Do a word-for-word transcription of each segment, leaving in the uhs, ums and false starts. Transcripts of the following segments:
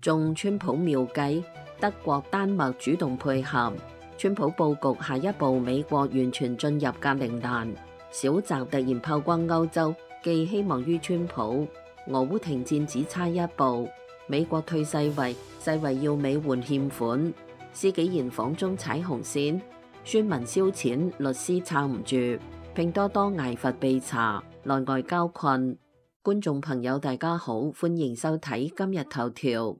中川普妙計，德國、丹麥主動配合，川普佈局下一步美國完全進入格陵蘭。小澤突然炮轟歐洲，寄希望於川普。俄烏停戰只差一步，美國退世衛，世衛要美援欠款。施紀賢訪中踩紅線，宣文燒錢，律師撐唔住。拼多多挨罰被查，內外交困。觀眾朋友大家好，歡迎收睇今日頭條。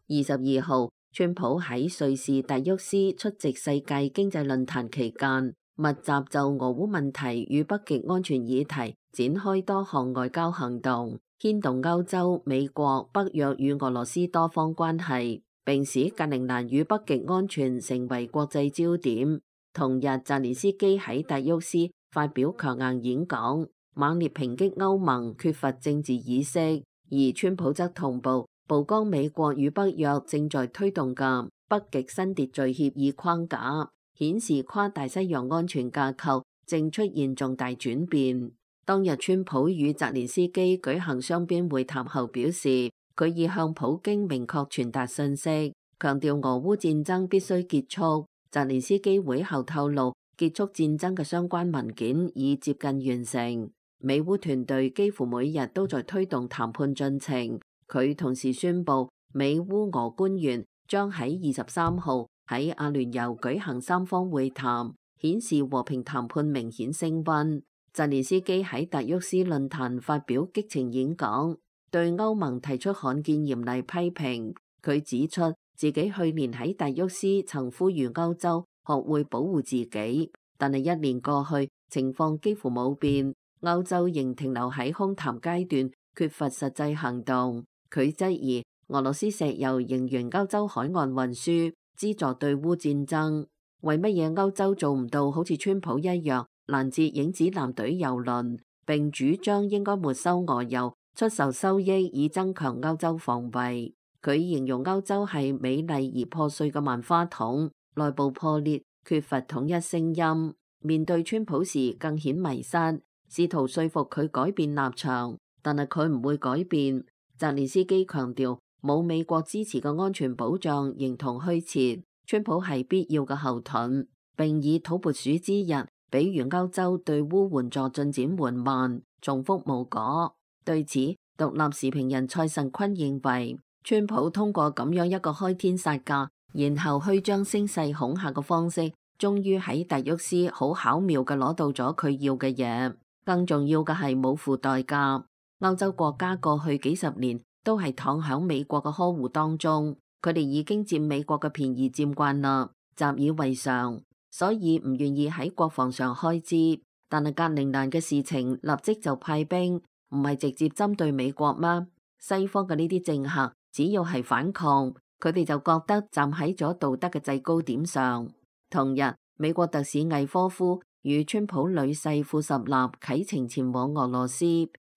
二十二號，川普喺瑞士達沃斯出席世界經濟論壇期間，密集就俄烏問題與北極安全議題展開多項外交行動，牽動歐洲、美國、北約與俄羅斯多方關係，並使格陵蘭與北極安全成為國際焦點。同日，澤連斯基喺達沃斯發表強硬演講，猛烈抨擊歐盟缺乏政治意識，而川普則同步曝光美國與北約正在推動嘅北極新秩序協議框架，顯示跨大西洋安全架構正出現重大轉變。當日，川普與澤連斯基舉行雙邊會談後表示，佢已向普京明確傳達信息，強調俄烏戰爭必須結束。澤連斯基會後透露，結束戰爭嘅相關文件已接近完成。美烏團隊幾乎每日都在推動談判進程。佢同時宣布，美烏俄官員將喺二十三號喺阿聯酋舉行三方會談，顯示和平談判明顯升溫。澤連斯基喺達沃斯論壇發表激情演講，對歐盟提出罕見嚴厲批評。佢指出自己去年喺達沃斯曾呼籲歐洲學會保護自己，但係一年過去，情況幾乎冇變，歐洲仍停留喺空談階段，缺乏實際行動。佢質疑俄羅斯石油仍沿歐洲海岸運輸，資助對烏戰爭。為乜嘢歐洲做唔到好似川普一樣攔截影子艦隊油輪，並主張應該沒收俄油，出售收益以增強歐洲防衛？佢形容歐洲係美麗而破碎嘅萬花筒，內部破裂，缺乏統一聲音。面對川普時更顯迷失，試圖說服佢改變立場，但係佢唔會改變。澤連斯基強調，冇美國支持嘅安全保障形同虛設，川普係必要嘅後盾，並以土撥鼠之日比喻歐洲對烏援助進展緩慢，重複無果。對此，獨立時評人蔡慎坤認為，川普通過咁樣一個開天殺價，然後虛張聲勢恐嚇嘅方式，終於喺達沃斯好巧妙嘅攞到咗佢要嘅嘢。更重要嘅係冇付代價。歐洲國家過去幾十年都係躺響美國嘅呵護當中，佢哋已經佔美國嘅便宜佔慣啦，習以為常，所以唔願意喺國防上開支。但係格陵蘭嘅事情立即就派兵，唔係直接針對美國嗎？西方嘅呢啲政客只要係反抗，佢哋就覺得站喺咗道德嘅制高點上。同日，美國特使魏科夫與川普女婿庫什納啟程前往俄羅斯，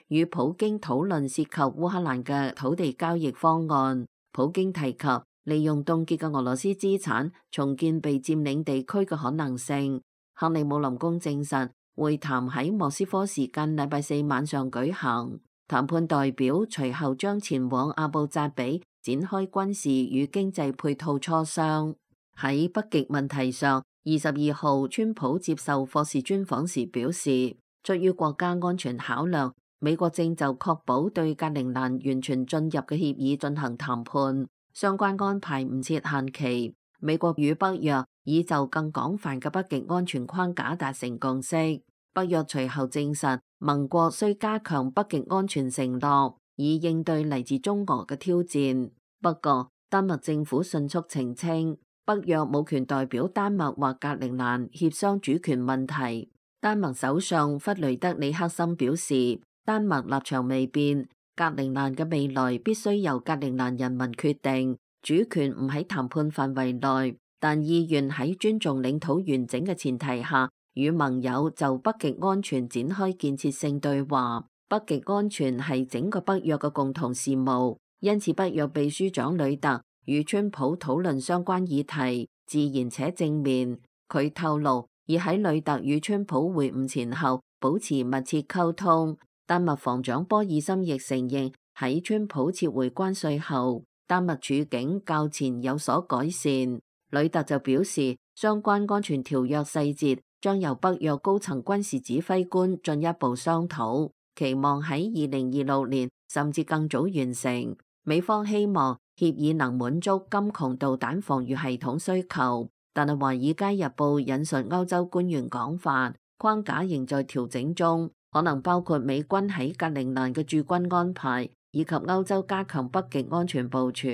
與普京討論涉及烏克蘭嘅土地交易方案。普京提及利用凍結嘅俄羅斯資產重建被佔領地區嘅可能性。克里姆林宮證實會談喺莫斯科時間禮拜四晚上舉行，談判代表隨後將前往阿布扎比展開軍事與經濟配套磋商。喺北極問題上，二十二號川普接受霍士專訪時表示，出於國家安全考量，美國正就確保對格陵蘭完全進入嘅協議進行談判，相關安排唔設限期。美國與北約已就更廣泛嘅北極安全框架達成共識。北約隨後證實，盟國需加強北極安全承諾，以應對嚟自中俄嘅挑戰。不過，丹麥政府迅速澄清，北約冇權代表丹麥或格陵蘭協商主權問題。丹麥首相弗雷德里克森表示，丹麥立場未變，格陵蘭嘅未來必須由格陵蘭人民決定，主權唔喺談判範圍內，但意願喺尊重領土完整嘅前提下，與盟友就北極安全展開建設性對話。北極安全係整個北約嘅共同事務，因此北約秘書長呂特與川普討論相關議題，自然且正面。佢透露，已喺呂特與川普會晤前後保持密切溝通。丹麥防長波爾森亦承認，喺川普撤回關稅後，丹麥處境較前有所改善。呂特就表示，相關安全條約細節將由北約高層軍事指揮官進一步商討，期望喺二零二六年甚至更早完成。美方希望協議能滿足金窮導彈防禦系統需求，但係《華爾街日報》引述歐洲官員講法，框架仍在調整中，可能包括美軍喺格陵蘭嘅駐軍安排，以及歐洲加強北極安全部署。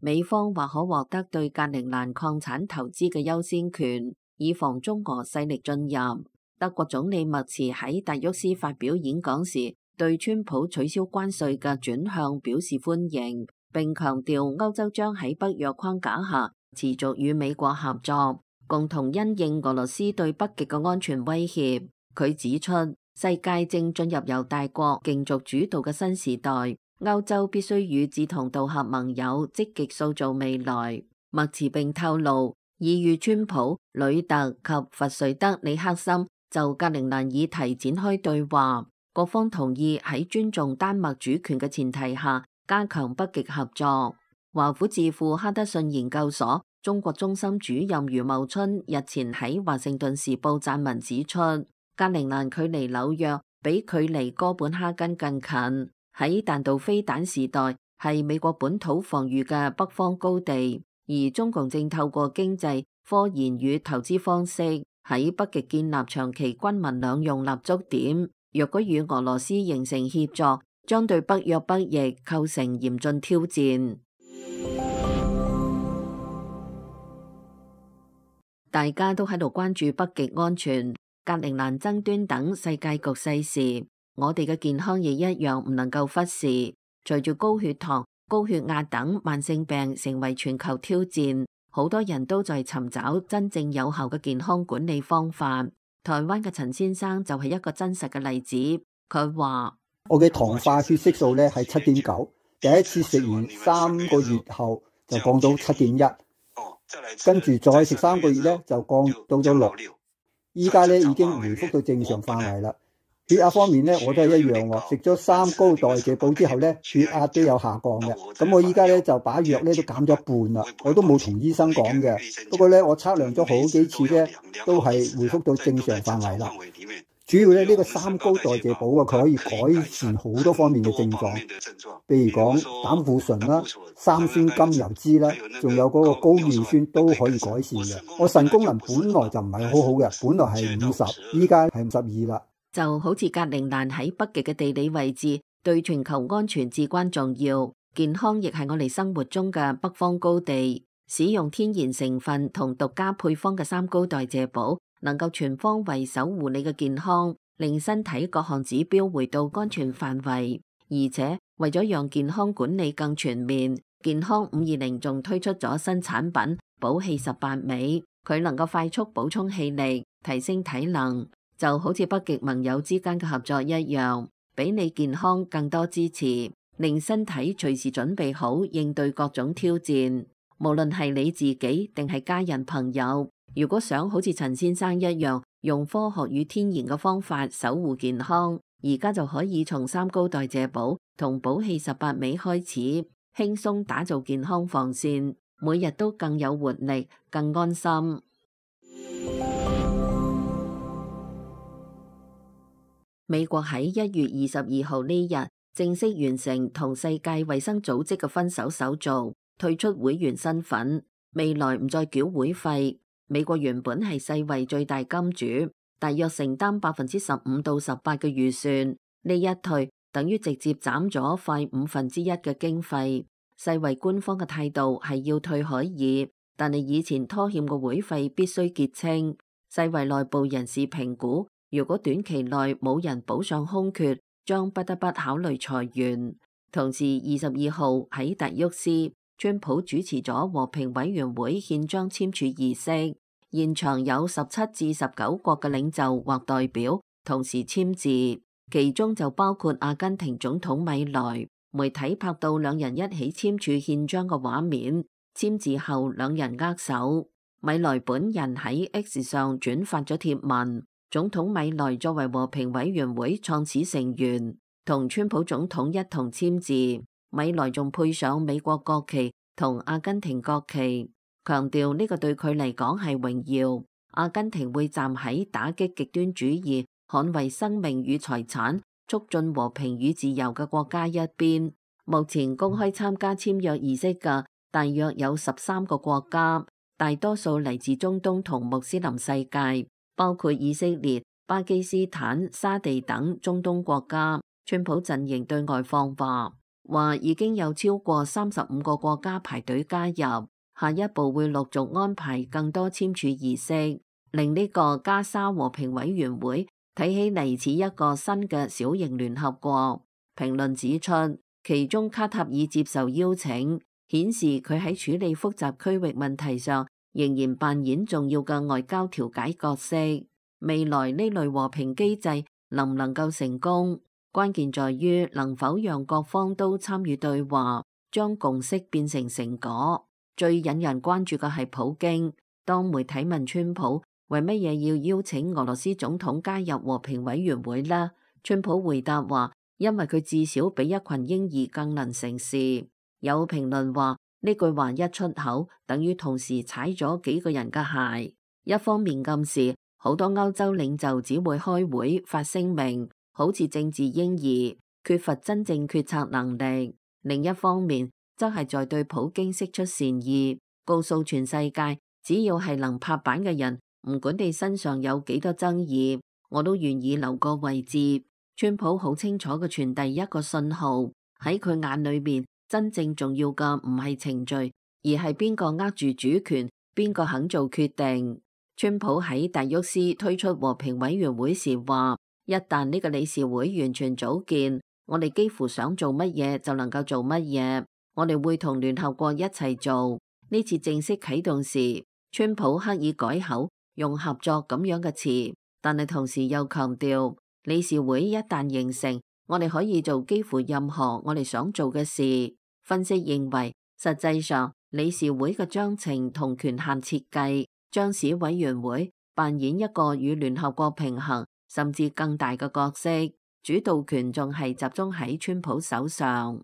美方或可獲得對格陵蘭礦產投資嘅優先權，以防中俄勢力進入。德國總理默茨喺達沃斯發表演講時，對川普取消關稅嘅轉向表示歡迎，並強調歐洲將喺北約框架下持續與美國合作，共同因應俄羅斯對北極嘅安全威脅。佢指出，世界正進入由大國競逐主導嘅新時代，歐洲必須與志同道合盟友積極塑造未來。默茨並透露，已與川普、呂特及弗瑞德里克森就格陵蘭議題展開對話，各方同意喺尊重丹麥主權嘅前提下加強北極合作。華府智庫哈德遜研究所中國中心主任余茂春日前喺華盛頓時報撰文指出，格陵蘭距離紐約比距離哥本哈根更近，喺彈道飛彈時代係美國本土防禦嘅北方高地，而中共正透過經濟、科研與投資方式喺北極建立長期軍民兩用立足點。若果與俄羅斯形成協作，將對北約北翼構成嚴峻挑戰。大家都喺度關注北極安全、格陵蘭爭端等世界局勢時，我哋嘅健康亦一樣唔能夠忽視。隨住高血糖、高血壓等慢性病成為全球挑戰，好多人都在尋找真正有效嘅健康管理方法。台灣嘅陳先生就係一個真實嘅例子。佢話：我嘅糖化血色素咧係七點九，第一次食完三個月後就降到七點一，跟住再食三個月咧就降到咗六，依家咧已經回復到正常範圍啦。血壓方面咧，我都係一樣喎。食咗三高代謝補之後咧，血壓都有下降嘅。咁我依家咧就把藥咧都減咗一半啦。我都冇同醫生講嘅。不過咧，我測量咗好幾次咧，都係回復到正常範圍啦。主要咧呢個三高代謝補啊，佢可以改善好多方面嘅症狀，譬如講膽固醇啦、三酸甘油酯啦，仲有嗰個高尿酸都可以改善嘅。我腎功能本來就唔係好好嘅，本來係五十，依家係五十二啦。就好似格陵蘭喺北極嘅地理位置，對全球安全至關重要。健康亦係我哋生活中嘅北方高地。使用天然成分同獨家配方嘅三高代謝補，能夠全方位守護你嘅健康，令身體各項指標回到安全範圍。而且為咗讓健康管理更全面，健康五二零仲推出咗新產品補氣十八味，佢能夠快速補充氣力，提升體能。就好似北極盟友之間嘅合作一樣，俾你健康更多支持，令身體隨時準備好應對各種挑戰。無論係你自己定係家人朋友，如果想好似陳先生一樣用科學與天然嘅方法守護健康，而家就可以從三高代謝補同補氣十八味開始，輕鬆打造健康防線，每日都更有活力，更安心。美國喺一月二十二號呢日正式完成同世界衛生組織嘅分手手續，退出會員身份，未來唔再繳會費。美國原本係世衛最大金主，大約承擔百分之十五到十八嘅預算，呢一退等於直接斬咗快五分之一嘅經費。世衛官方嘅態度係要退可以，但係以前拖欠嘅會費必須結清。世衛內部人士評估，如果短期內冇人補上空缺，將不得不考慮裁員。同時，二十二號喺達沃斯，川普主持咗和平委員會憲章簽署儀式，現場有十七至十九國嘅領袖或代表同時簽字，其中就包括阿根廷總統米萊。媒體拍到兩人一起簽署憲章嘅畫面，簽字後兩人握手。米萊本人喺 X 上轉發咗貼文。總統米萊作為和平委員會創始成員，同川普總統一同簽字，米萊仲配上美國國旗同阿根廷國旗，強調呢個對佢嚟講係榮耀。阿根廷會站喺打擊極端主義、捍衛生命與財產、促進和平與自由嘅國家一邊。目前公開參加簽約儀式嘅大約有十三個國家，大多數嚟自中東同穆斯林世界，包括以色列、巴基斯坦、沙地等中東國家。川普陣營對外放話，話已經有超過三十五個國家排隊加入，下一步會陸續安排更多簽署儀式，令呢個加沙和平委員會睇起嚟似一個新嘅小型聯合國。評論指出，其中卡塔爾接受邀請，顯示佢喺處理複雜區域問題上仍然扮演重要嘅外交調解角色。未來呢類和平機制能唔能夠成功，關鍵在於能否讓各方都參與對話，將共識變成成果。最引人關注嘅係普京。當媒體問川普為乜嘢要邀請俄羅斯總統加入和平委員會呢？川普回答話，因為佢至少比一群嬰兒更能成事。有評論話呢句話一出口，等於同時踩咗幾個人嘅鞋。一方面暗示好多歐洲領袖只會開會發聲明，好似政治嬰兒，缺乏真正決策能力。另一方面，則係在對普京釋出善意，告訴全世界，只要係能拍板嘅人，唔管你身上有幾多爭議，我都願意留個位置。川普好清楚嘅傳遞一個信號，喺佢眼裏面，真正重要嘅唔係程序，而係邊個握住主權，邊個肯做決定。川普喺達沃斯推出和平委員會時話，一旦呢個理事會完全組建，我哋幾乎想做乜嘢就能夠做乜嘢，我哋會同聯合國一齊做。呢次正式啟動時，川普刻意改口，用合作咁樣嘅詞，但係同時又強調，理事會一旦形成，我哋可以做幾乎任何我哋想做嘅事。分析認為，實際上理事會嘅章程同權限設計，將使委員會扮演一個與聯合國平衡甚至更大嘅角色，主導權仲係集中喺川普手上。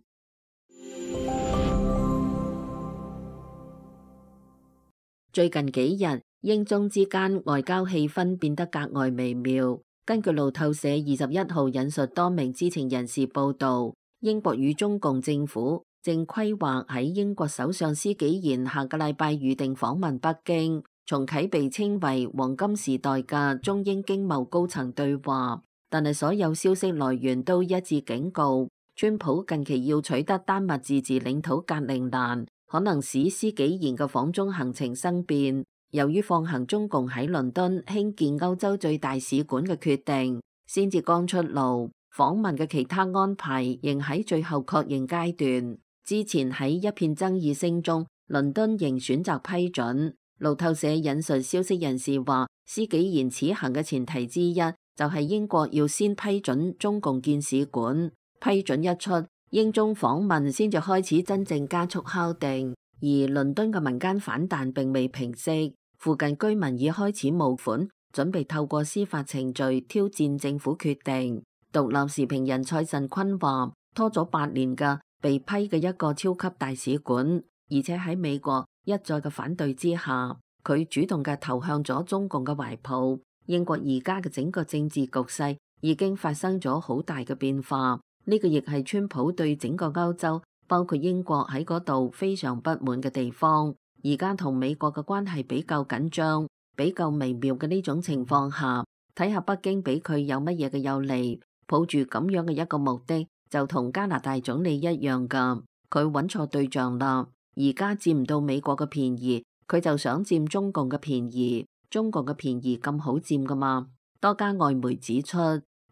最近幾日，英中之間外交氣氛變得格外微妙。根據路透社二十一號引述多名知情人士報道，英國與中共政府正規劃喺英國首相施紀賢下個禮拜預定訪問北京，重啟被稱為黃金時代嘅中英經貿高層對話。但係所有消息來源都一致警告，川普近期要取得丹麥自治領土格陵蘭，可能使施紀賢嘅訪中行程生變。由於放行中共喺倫敦興建歐洲最大使館嘅決定先至剛出爐，訪問嘅其他安排仍喺最後確認階段。之前喺一片爭議聲中，倫敦仍選擇批准。路透社引述消息人士話，施紀賢此行嘅前提之一就係英國要先批准中共建使館，批准一出，英中訪問先至開始真正加速敲定。而倫敦嘅民間反彈並未平息，附近居民已開始募款，準備透過司法程序挑戰政府決定。獨立時評人蔡慎坤話，拖咗八年嘅被批嘅一個超級大使館，而且喺美國一再嘅反對之下，佢主動嘅投向咗中共嘅懷抱。英國而家嘅整個政治局勢已經發生咗好大嘅變化，呢個亦係川普對整個歐洲，包括英國喺嗰度非常不滿嘅地方。而家同美國嘅關係比較緊張，比較微妙嘅呢種情況下，睇下北京俾佢有乜嘢嘅有利，抱住咁樣嘅一個目的，就同加拿大總理一樣噶，佢揾錯對象啦。而家佔唔到美國嘅便宜，佢就想佔中共嘅便宜。中國嘅便宜咁好佔噶嘛？多家外媒指出，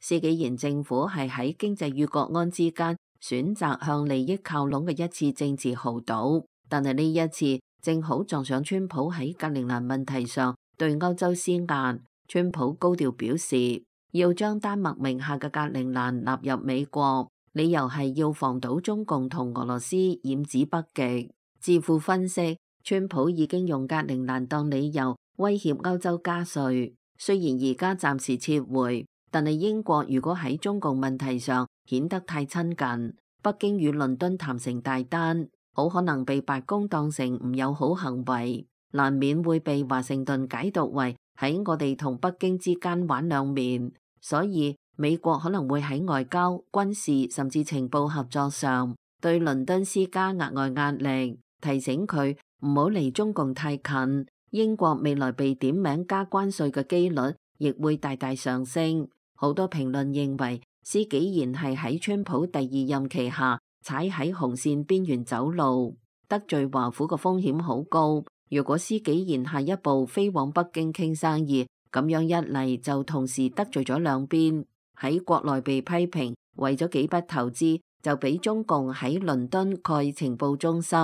施紀賢政府係喺經濟與國安之間選擇向利益靠攏嘅一次政治豪賭，但係呢一次正好撞上川普喺格陵蘭問題上對歐洲施壓。川普高調表示要將丹麥名下嘅格陵蘭納入美國，理由係要防堵中共同俄羅斯染指北極。智庫分析，川普已經用格陵蘭當理由威脅歐洲加稅，雖然而家暫時撤回，但係英國如果喺中共問題上顯得太親近。北京與倫敦談成大單，好可能被白宮當成唔友好行為，難免會被華盛頓解讀為喺我哋同北京之間玩兩面。所以美國可能會喺外交、軍事甚至情報合作上對倫敦施加額外壓力，提醒佢唔好離中共太近。英國未來被點名加關稅嘅機率亦會大大上升。好多評論認為，施紀賢係喺川普第二任期下踩喺紅線邊緣走路，得罪華府嘅風險好高。如果施紀賢下一步飛往北京傾生意，咁樣一嚟就同時得罪咗兩邊。喺國內被批評為咗幾筆投資就俾中共喺倫敦蓋情報中心，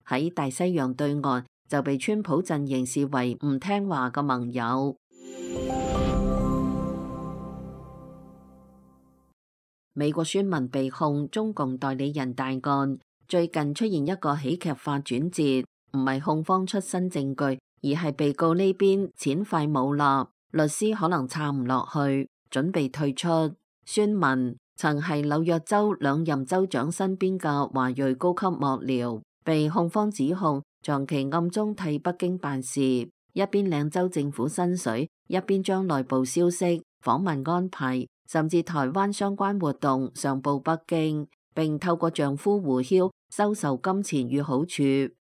喺大西洋對岸就被川普陣營視為唔聽話嘅盟友。美國宣文被控中共代理人大案，最近出現一個喜劇化轉折，唔係控方出新證據，而係被告呢邊錢快冇啦，律師可能撐唔落去，準備退出。宣文曾係紐約州兩任州長身邊嘅華裔高級幕僚，被控方指控長期暗中替北京辦事，一邊領州政府薪水，一邊將內部消息、訪問安排甚至台灣相關活動上報北京，並透過丈夫胡曉收受金錢與好處，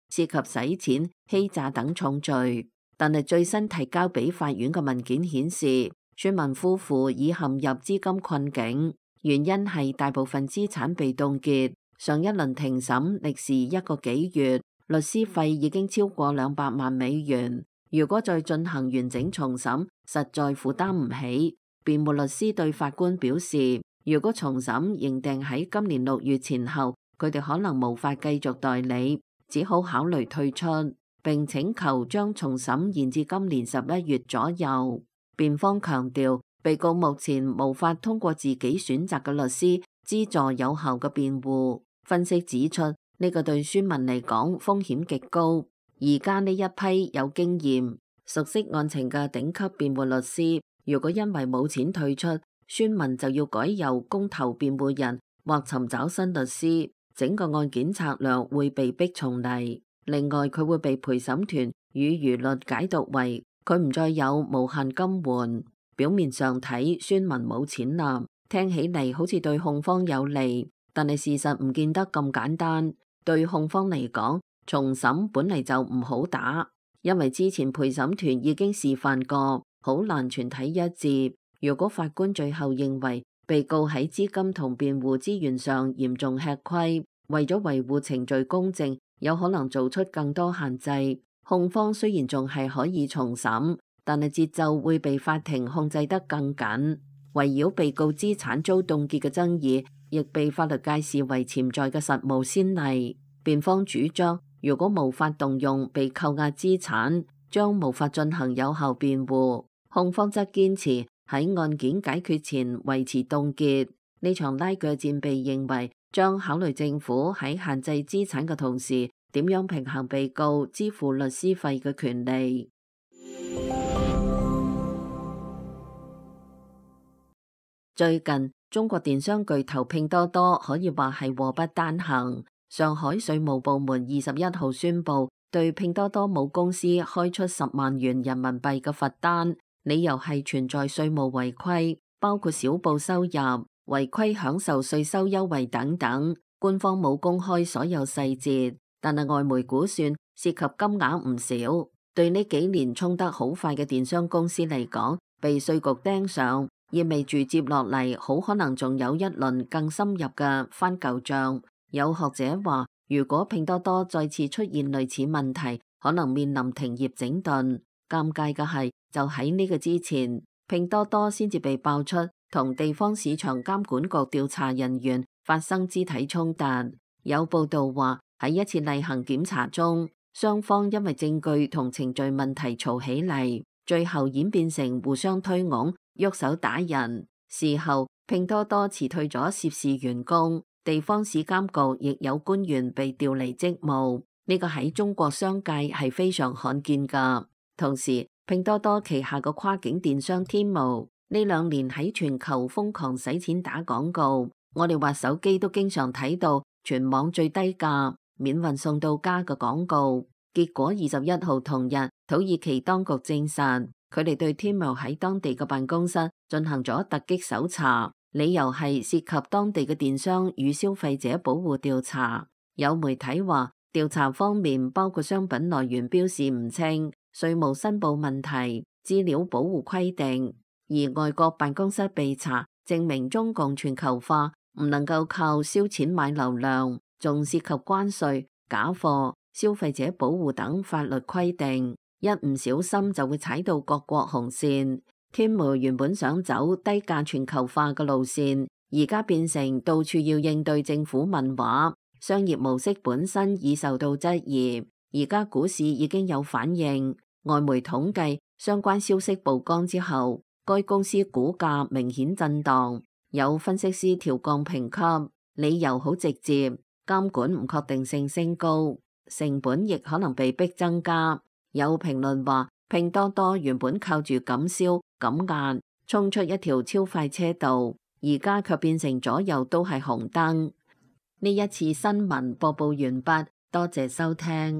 涉及洗錢、欺詐等重罪。但係最新提交俾法院嘅文件顯示，宣文夫婦已陷入資金困境，原因係大部分資產被凍結。上一輪庭審歷時一個幾月，律師費已經超過兩百萬美元。如果再進行完整重審，實在負擔唔起。辯護律師對法官表示，如果重審認定喺今年六月前後，佢哋可能無法繼續代理，只好考慮退出，並請求將重審延至今年十一月左右。辯方強調，被告目前無法通過自己選擇嘅律師資助有效嘅辯護。分析指出，呢個對宣文嚟講風險極高。而家呢一批有經驗、熟悉案情嘅頂級辯護律師，如果因為冇錢退出，宣文就要改由公投辯護人或尋找新律師，整個案件策略會被逼重嚟。另外，佢會被陪審團與輿論解讀為佢唔再有無限金援。表面上睇，宣文冇錢啦，聽起嚟好似對控方有利，但係事實唔見得咁簡單。對控方嚟講，重審本嚟就唔好打，因為之前陪審團已經示範過，好難全體一致。如果法官最後認為被告喺資金同辯護資源上嚴重吃虧，為咗維護程序公正，有可能做出更多限制。控方雖然仲係可以重審，但係節奏會被法庭控制得更緊。圍繞被告資產遭凍結嘅爭議，亦被法律界視為潛在嘅實務先例。辯方主張，如果無法動用被扣押資產，將無法進行有效辯護。控方則堅持喺案件解決前維持凍結。呢場拉鋸戰被認為將考慮政府喺限制資產嘅同時，點樣平衡被告支付律師費嘅權利。最近，中國電商巨頭拼多多可以話係禍不單行。上海稅務部門二十一號宣布，對拼多多母公司開出十萬元人民幣嘅罰單，理由係存在稅務違規，包括少報收入、違規享受稅收優惠等等。官方冇公開所有細節，但係外媒估算涉及金額唔少。對呢幾年衝得好快嘅電商公司嚟講，被稅局盯上，意味住接落嚟好可能仲有一輪更深入嘅翻舊賬。有學者話，如果拼多多再次出現類似問題，可能面臨停業整頓。尷尬嘅係，就喺呢個之前，拼多多先至被爆出同地方市場監管局調查人員發生肢體衝突。有報道話，喺一次例行檢查中，雙方因為證據同程序問題嘈起嚟，最後演變成互相推搪、喐手打人。事後，拼多多辭退咗涉事員工。地方市監局亦有官員被調離職務，呢個喺中國商界係非常罕見噶。同時，拼多多旗下嘅跨境電商天貓呢兩年喺全球瘋狂使錢打廣告，我哋滑手機都經常睇到全網最低價、免運送到家嘅廣告。結果二十一號同日，土耳其當局證實，佢哋對 Temu 喺當地嘅辦公室進行咗突擊搜查，理由係涉及當地嘅電商與消費者保護調查。有媒體話，調查方面包括商品來源標示唔清、稅務申報問題、資料保護規定。而外國辦公室被查，證明中共全球化唔能夠靠燒錢買流量，仲涉及關稅、假貨、消費者保護等法律規定，一唔小心就會踩到各國紅線。Temu 原本想走低價全球化嘅路線，而家變成到處要應對政府問話，商業模式本身已受到質疑。而家股市已經有反應，外媒統計相關消息曝光之後，該公司股價明顯震盪，有分析師調降評級，理由好直接，監管唔確定性升高。成本亦可能被逼增加。有評論話，拼多多原本靠住減銷減壓衝出一條超快車道，而家卻變成左右都係紅燈。呢一次新聞播報完畢，多謝收聽。